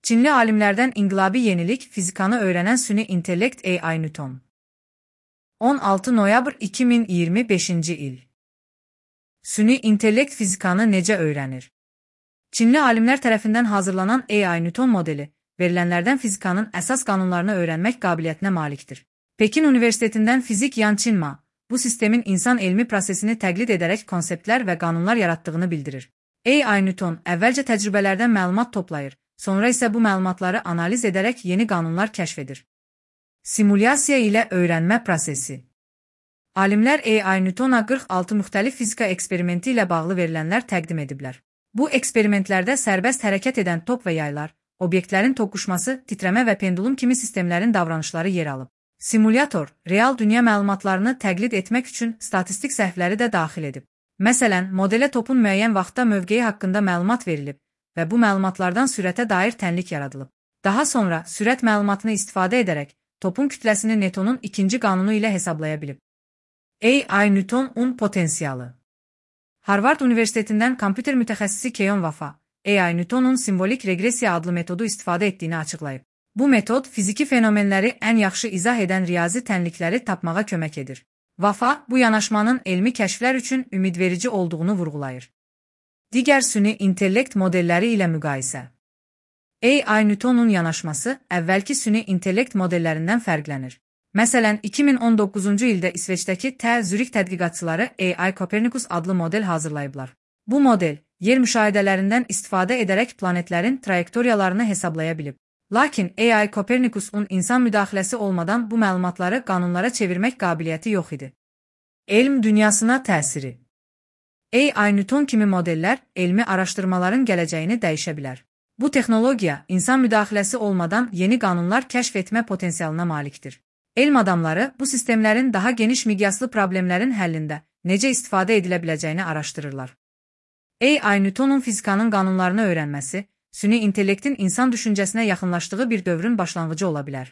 Çinli alimlərdən inqilabi yenilik fizikanı öyrənən süni intellekt AI Newton. 16 noyabr 2025-ci il. Süni intellekt fizikanı necə öyrənir? Çinli alimlər tərəfindən hazırlanan AI Newton modeli, verilənlərdən fizikanın əsas qanunlarını öyrənmək qabiliyyətinə malikdir. Pekin Universitetindən fizik Yan Qinma, bu sistemin insan elmi prosesini təqlid edərək konseptlər və qanunlar yaratdığını bildirir. AI Newton əvvəlcə təcrübələrdən məlumat toplayır, sonra isə bu məlumatları analiz edərək yeni qanunlar kəşf edir. Simulyasiya ilə öyrənmə prosesi. Alimlər AI Newtona 46 müxtəlif fizika eksperimenti ilə bağlı verilənlər təqdim ediblər. Bu eksperimentlərdə sərbəst hərəkət edən top və yaylar, obyektlərin toqquşması, titrəmə və pendulum kimi sistemlərin davranışları yer alıb. Simulyator, real dünya məlumatlarını təqlid etmək üçün statistik səhvləri də daxil edib. Məsələn, modelə topun müəyyən vaxtda mövqeyi haqqında məlumat verilib və bu məlumatlardan sürətə dair tənlik yaradılıb. Daha sonra sürət məlumatını istifadə edərək topun kütləsini Newtonun ikinci qanunu ilə hesablaya bilib. AI Newtonun potensialı. Harvard Universitetindən kompüter mütəxəssisi Keyon Vafa, AI Newtonun simvolik regresiya adlı metodu istifadə etdiyini açıqlayıb. Bu metod fiziki fenomenləri ən yaxşı izah edən riyazi tənlikləri tapmağa kömək edir. Vafa bu yanaşmanın elmi kəşflər üçün ümidverici olduğunu vurğulayır. Digər süni intellekt modelləri ilə müqayisə. AI Newtonun yanaşması əvvəlki süni intellekt modellərindən fərqlənir. Məsələn, 2019-cu ildə İsveçdəki Zürih tədqiqatçıları AI Copernicus adlı model hazırlayıblar. Bu model, yer müşahidələrindən istifadə edərək planetlərin trayektoriyalarını hesablaya bilib. Lakin AI Copernicus'un insan müdaxiləsi olmadan bu məlumatları qanunlara çevirmək qabiliyyəti yox idi. Elm dünyasına təsiri. AI Newton kimi modellər elmi araşdırmaların gələcəyini dəyişə bilər. Bu texnologiya insan müdaxiləsi olmadan yeni qanunlar kəşf etmə potensialına malikdir. Elm adamları bu sistemlərin daha geniş miqyaslı problemlərin həllində necə istifadə edilə biləcəyini araşdırırlar. AI Newtonun fizikanın qanunlarını öyrənməsi, süni intellektin insan düşüncəsinə yaxınlaşdığı bir dövrün başlanğıcı ola bilər.